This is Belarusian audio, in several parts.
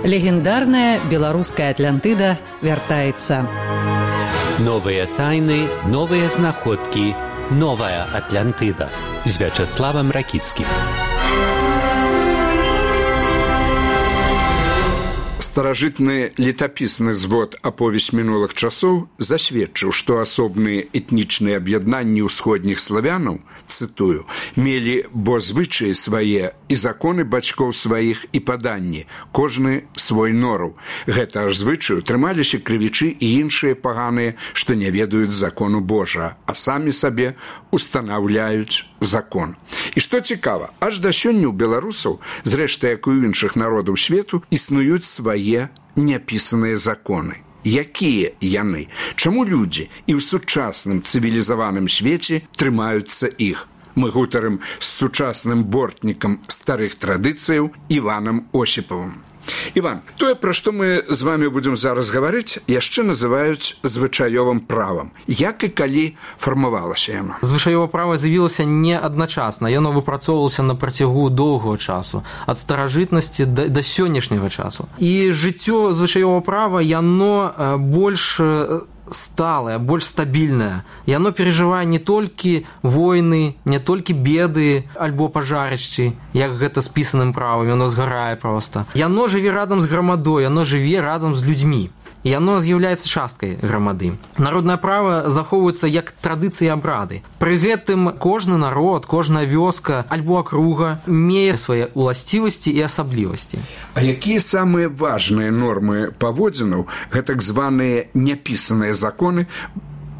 Легендарная беларуская Атлантыда вяртаецца. Новыя тайны, новыя знаходкі, новая Атлантыда з Вячаславам Ракіцкім. Старажытны летапісны звод аповесць мінулых часоў засведчыў, што асобныя этнічныя аб'яднанні ўсходніх славянаў, цытую, мелі бо звычаі свае і законы бацькоў сваіх і паданні, кожны свой нораў. Гэта аж звычаю трымаліся крывічы і іншыя паганыя, што не ведаюць закону Божа, а самі сабе устанаўляюць закон. І што цікава, аж да сёння ў беларусаў, зрэшты, як у іншых народаў свету, існуюць свае няпісаныя законы. Якія яны? Чаму людзі і ў сучасным цывілізаваным свеце трымаюцца іх? Мы гутарым з сучасным бортнікам старых традыцыяў Іванам Осіпавым. Іван, тое, пра што мы з вами будзем зараз гаварыць, яшчэ называюць звычаёвым правам. Як і калі фармавалася яно? Звычаёвае права з'явілася не адначасна. Яно выпрацоўвалася на працягу доўгага часу, ад старажытнасці да сённяшняга часу. І жыццё звычаёвага права, яно больш сталае, больш стабільнае. Яно перажывае не толькі войны, не толькі беды альбо пажарышчы, як гэта з пісаным правам, яно згарае проста. Яно жыве радам з грамадой, яно жыве разам з людзьмі. І яно з'яўляецца часткай грамады. Народнае права захоўваецца як традыцыі і абрады. Пры гэтым кожны народ, кожная вёска альбо акруга мее свае уласцівасці і асаблівасці. А якія самыя важныя нормы паводзінаў, гэтак званыя няпісаныя законы,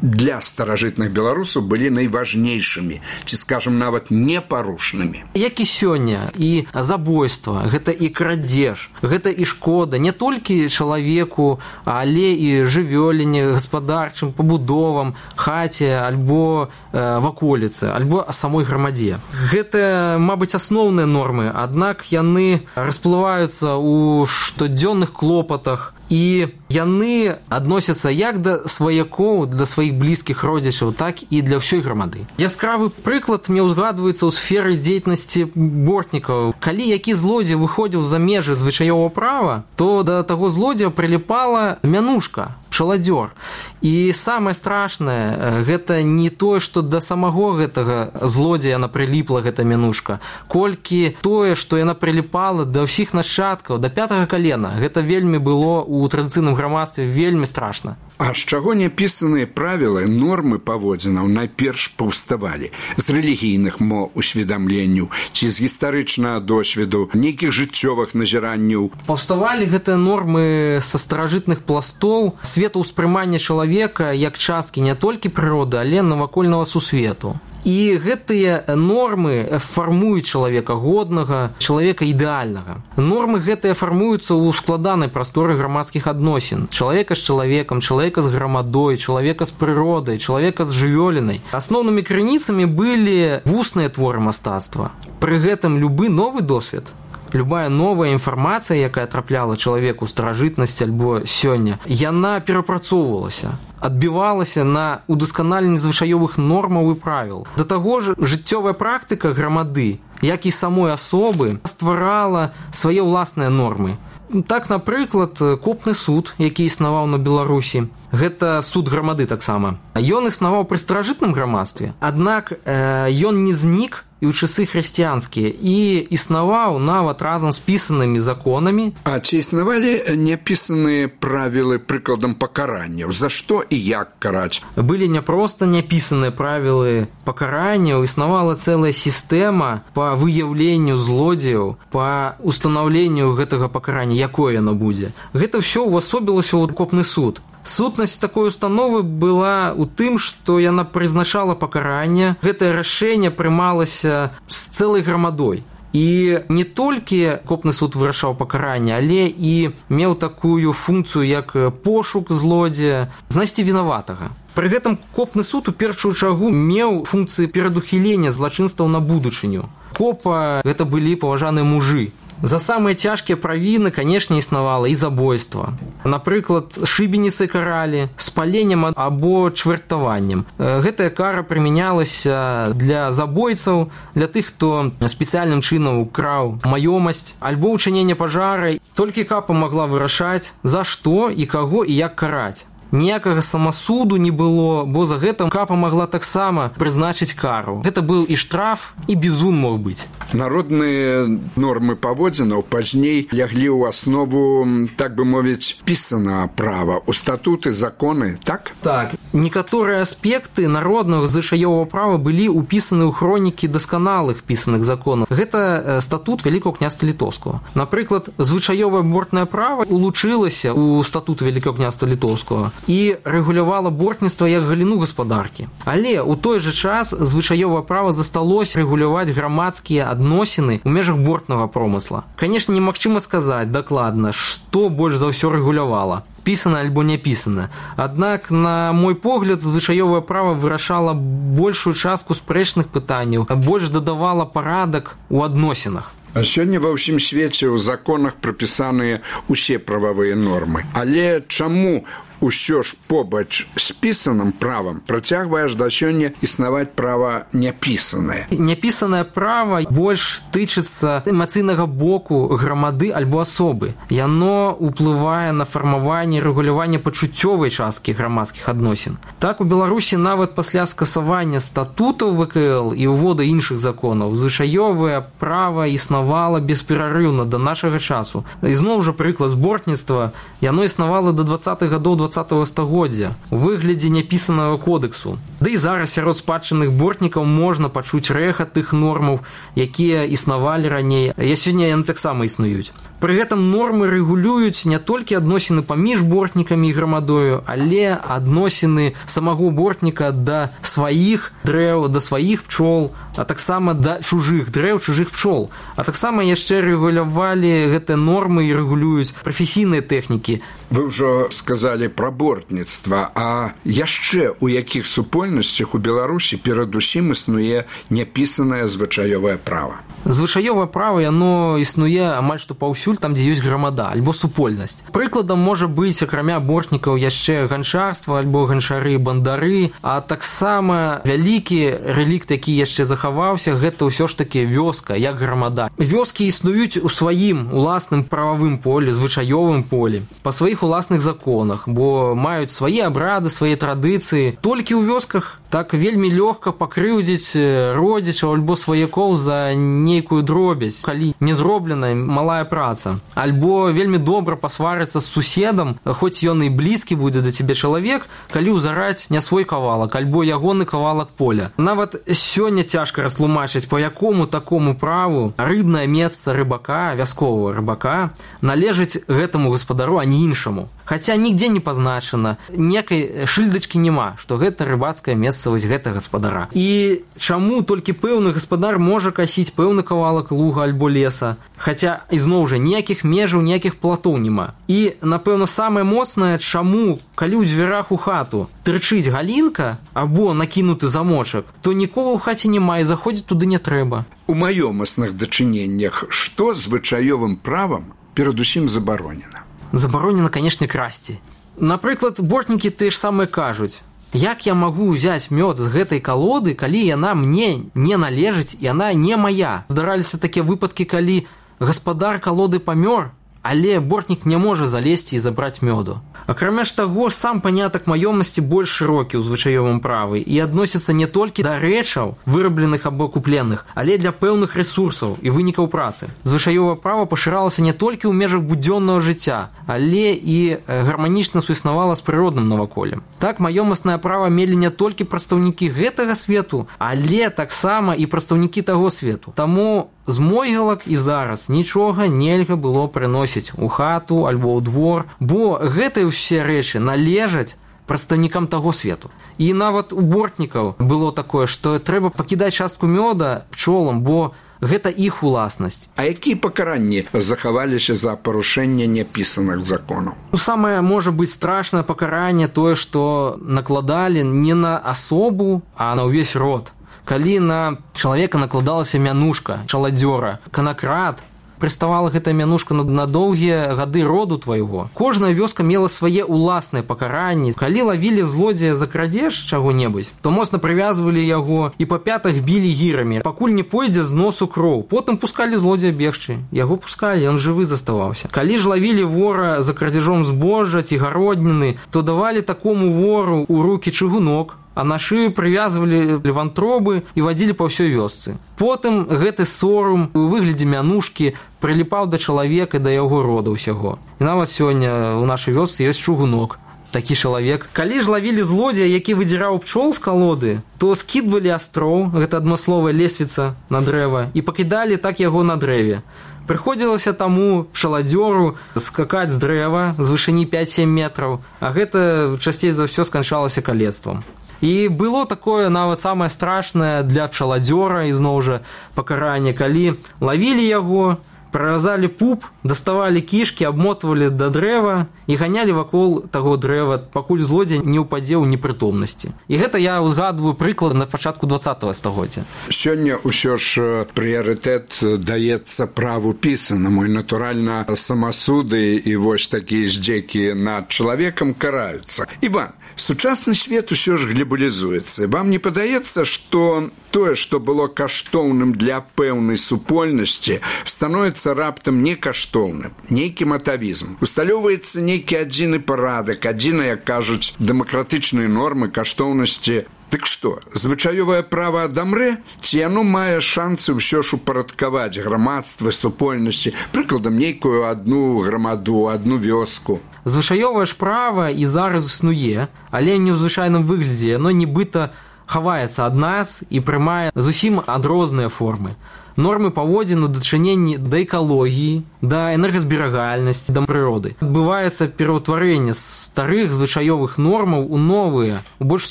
для старажытных беларусаў былі найважнейшымі, ці, скажам, нават непарушнымі? Як і сёння, і забойства, гэта і крадзеж, гэта і шкода не толькі чалавеку, але і жывёліне, гаспадарчым пабудовам, хаце, альбо ваколіцы, альбо самой грамадзе. Гэта, мабыць, асноўныя нормы, аднак яны расплываюцца ў штодзённых клопатах, і яны адносяцца як да сваякоў, да сваіх блізкіх родзічаў, так і для ўсёй грамады. Яскравы прыклад мне ўзгадваецца ў сферы дзейнасці бортнікаў. Калі які злодзей выходзіў за межы звычаёвага права, то да таго злодзея прыліпала мянушка, пчаладзёр. І самае страшнае, гэта не тое, што да самого гэтага злодзея яна прыліпла, гэта мянушка, колькі тое, што яна прыліпала да ўсіх нашчадкаў, да 5-го калена. Гэта вельмі было у традыцыйным грамадстве вельмі страшна. А з чаго няпісаныя правілы, нормы паводзінаў найперш паўставалі? З рэлігійных усведамленняў ці з гістарычнага досведу, нейкіх жыццёвых назіранняў? Паўставалі гэтыя нормы са старажытных пластоў светаўспрымання чалавека як часткі не толькі прыроды, але навакольнага сусвету. І гэтыя нормы фармуюць чалавека годнага, чалавека ідэальнага. Нормы гэтыя фармуюцца ў складанай прасторы грамадскіх адносін. Чалавека з чалавекам, чалавека з грамадой, чалавека з прыродай, чалавека з жывёлінай. Асноўнымі крыніцамі былі вусныя творы мастацтва. Пры гэтым любы новы досвед, любая новая інфармацыя, якая трапляла чалавеку ў старажытнасці альбо сёння, яна перапрацоўвалася, адбівалася на удасканаленні звычаёвых нормаў і правіл. Да таго ж, жыццёвая практыка грамады, як і самой асобы, стварала свае ўласныя нормы. Так, напрыклад, копны суд, які існаваў на Беларусі, гэта суд грамады таксама. Ён існаваў пры старажытным грамадстве, аднак ён не знік і ў часы хрысціянскія, і існаваў нават разам з пісанымі законамі. А ці існавалі няпісаныя правілы прыкладам пакаранняў? За што і як караць? Былі не проста няпісаныя правілы пакаранняў, існавала цэлая сістэма па выяўленню злодзеяў, па устанаўленню гэтага пакарання, якое яно будзе. Гэта ўсё ўвасобілася ў копны суд. Сутнасць такой установы была ў тым, што яна прызначала пакаранне. Гэтае рашэнне прымалася з цэлай грамадой. І не толькі копны суд вырашаў пакаранне, але і меў такую функцыю, як пошук злодзея, знайсці вінаватага. Пры гэтым копны суд у першую чаргу меў функцыі перадухілення злачынстваў на будучыню. Копа – гэта былі паважаныя мужы. За самыя цяжкія правіны, канешне, існавала і забойства. Напрыклад, шыбеніцай каралі, спаленнем або чвэртаваннем. Гэтая кара прымянялася для забойцаў, для тых, хто спецыяльным чынам украў маёмасць, альбо ўчынення пажара. Толькі капа магла вырашаць, за што і каго і як караць. Ніякага самасуду не было, бо за гэта капа магла таксама прызначыць кару. Гэта быў і штраф, і бізун мог быць. Народныя нормы паводзінаў пазней ляглі ў аснову, так бы мовіць, пісанага права, у статуты, законы, так? Так. Некаторыя аспекты народнага звычаёвага права былі ўпісаны ў хронікі дасканалых пісаных законаў. Гэта статут Вялікага княства Літоўскага. Напрыклад, звычаёвае бортнае права улучылася ў статут Вялікага княства Літоўскага і рэгулявала бортніцтва як галіну гаспадаркі. Але ў той жа час звычаёвае права засталося рэгуляваць грамадскія адносіны ў межах бортнага промысла. Канешне, немагчыма сказаць дакладна, што больш за ўсё рэгулявала. Пісана альбо не пісана. Аднак, на мой погляд, звычаёвае права вырашала большую частку спрэчных пытанняў, больш дадавала парадак у адносінах. А сёння ва ўсім свеце ў законах прапісаныя ўсе прававыя нормы. Але чаму ўсё ж побач з пісаным правам працягвае аж да сёння існаваць права няпісанае? Няпісанае права больш тычыцца эмацыйнага боку грамады альбо асобы. Яно ўплывае на фармаванне і рэгуляванне пачуццёвай часткі грамадскіх адносін. Так, у Беларусі нават пасля скасавання статутаў ВКЛ і ўвода іншых законаў звычаёвае права існавала бесперарыўна да нашага часу. Ізноў жа прыклад збортніцтва, яно існавала да 20-х гадоў 20-го стагоддзя у выглядзе няпісанага кодэксу. Да і зараз сярод спадчынных бортнікаў можна пачуць рэхат тых нормаў, якія існавалі раней, а сёння яны таксама існуюць. Пры гэтым нормы рэгулююць не толькі адносіны паміж бортнікамі і грамадою, але адносіны самого бортніка да сваіх дрэў, да сваіх пчол, а таксама да чужых дрэў, чужых пчол. А таксама яшчэ рэгулявалі гэтыя нормы і рэгулююць прафесійныя тэхнікі. Вы ўжо сказалі пра бортніцтва, а яшчэ у якіх супольнасцях у Беларусі перадусім існуе няпісанае звычаёвае права? Звычаёвае права, яно існуе амаль што паўсюль там, дзе ёсць грамада, альбо супольнасць. Прыкладам можа быць, акрамя бортнікаў, яшчэ ганчарства, альбо ганчары, бандары, а таксама вялікі рэлікт, які яшчэ захаваўся, гэта ўсё ж такі вёска, як грамада. Вёскі існуюць у сваім уласным прававым полі, звычаёвым полі, па сваіх уласных законах, бо маюць свае абрады, свае традыцыі. Толькі ў вёсках так вельмі лёгка пакрыўдзіць родзічаў альбо сваякоў за нейкую дробязь, калі не зробленая малая праца. Альбо вельмі добра пасварыцца з суседам, хоць ён і блізкі будзе да цябе чалавек, калі ўзараць не свой кавалак, альбо ягоны кавалак поля. Нават сёння цяжка растлумачыць, па якому такому праву рыбнае месца рыбака, вясковага рыбака, належыць гэтаму гаспадару, а не іншаму. Хаця нігдзе не пазначана, некай шыльдачкі няма, што гэта рыбацкае месца вось гэта гаспадара. І чаму толькі пэўны гаспадар можа касіць пэўны кавалак луга альбо леса, хаця ізноў жа ніякіх межаў, ніякіх платоў няма. І, напэўна, самае моцнае, чаму, калі ў дзвярах у хату трычыць галінка або накінуты замочак, то нікога ў хаце няма і заходзіць туды не трэба. У маёмасных дачыненнях што звычаёвым правам перадусім забаронена? Забаронена, канешне, красці. Напрыклад, бортнікі тыя ж самыя кажуць: як я магу ўзяць мёд з гэтай калоды, калі яна мне не належыць, яна не мая? Здараліся такія выпадкі, калі гаспадар калоды памёр, але бортнік не можа залезці і забраць мёду. Акрамя ж таго, сам панятак маёмасці больш шырокі ў звычаёвым правы і адносіцца не толькі да рэчаў, вырабленых або купленых, але для пэўных рэсурсаў і вынікаў працы. Звычаёвае права пашыралася не толькі ў межах будзённага жыцця, але і гарманічна суіснавала з прыродным наваколлем. Так, маёмаснае права мелі не толькі прадстаўнікі гэтага свету, але таксама і прадстаўнікі таго свету. Таму з могілак і зараз нічога нельга было прыносіць у хату альбо ў двор, бо гэтыя ўсе рэчы належаць прадстаўнікам таго свету. І нават у бортнікаў было такое, што трэба пакідаць частку мёда пчолам, бо гэта іх уласнасць. А якія пакаранні захаваліся за парушэнне няпісаных законаў? Самае можа быць страшнае пакаранне тое, што накладалі не на асобу, а на ўвесь род. Калі на чалавека накладалася мянушка, чаладзёра, канакрад, прыставала гэтая мянушка на доўгія гады роду твайго. Кожная вёска мела свае ўласныя пакаранні. Калі лавілі злодзея за крадзеж чаго-небудзь, то моцна прывязвалі яго і па пятах білі гірамі, пакуль не пойдзе з носу кроў. Потым пускалі злодзея бегчы. Яго пускалі, ён жывы заставаўся. Калі ж лавілі вора за крадзежом збожжа ці гародніны, то давалі такому вору ў рукі чыгунок, а на шыю прывязвалі вантробы і вадзілі па ўсёй вёсцы. Потым гэты сорам у выглядзе мянушкі прыліпаў да чалавека, да яго рода ўсяго. І нават сёння ў нашай вёсцы ёсць чугунок. Такі чалавек. Калі ж лавілі злодзея, які выдзіраў пчол з калоды, то скідвалі астроў, гэта адмысловая лесвіца на дрэва, і пакідалі так яго на дрэве. Прыходзілася таму пчаладзёру скакаць з дрэва з вышыні 5-7 метраў, а гэта часцей за ўсё сканчалася калецтвам. І было такое нават самае страшнае для пчаладзёра, ізноў жа пакаранне, калі лавілі яго, праразалі пуп, даставалі кішкі, абмотвалі да дрэва і ганялі вакол таго дрэва, пакуль злодзей не ўпадзе ў непрытомнасці. І гэта я ўзгадваю прыклад на пачатку 20-го стагоддзя. Сёння ўсё ж прыярытэт даецца праву пісанаму, і, натуральна, самасуды і вось такія здзекі над чалавекам караюцца. Іван, сучасны свет усё ж глобалізуецца. Вам не падаецца, што тое, што было каштоўным для пэўнай супольнасці, становіцца раптам некаштоўным, нейкі атавізм. Усталёўваецца нейкі адзіны парадак, адзіныя, як кажуць, дэмакратычныя нормы каштоўнасці. Дык што, звычаёвае права адамрэ, ці яно мае шансы ўсё ж упарадкаваць грамадства, супольнасці, прыкладам, нейкую адну грамаду, адну вёску? Звычаёвае ж права і зараз існуе, але не ў звычайным выглядзе, яно нібыта хаваецца ад нас і прымае зусім адрозныя формы. Нормы паводзін у дачыненні да экалогіі, да энергазберагальнасці, да прыроды. Адбываецца пераўтварэнне старых звычаёвых нормаў у новыя, у больш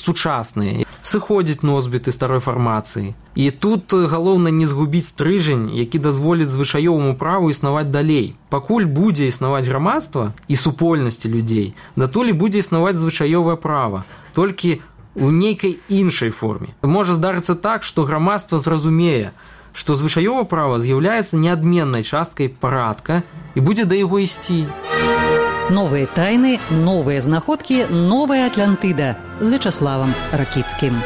сучасныя. Сыходзіць носьбіты старой фармацыі. І тут галоўна не згубіць стрыжань, які дазволіць звычаёваму праву існаваць далей. Пакуль будзе існаваць грамадства і супольнасці людзей, датуль будзе існаваць звычаёвае права. Толькі у нейкай іншай форме. Можа здарыцца так, што грамадства зразумее, што звычаёвае права з'яўляецца неадменнай часткай парадка і будзе да яго ісці. Новыя тайны, новыя знаходкі, новая Атлантыда з Вячаславам Ракіцкім.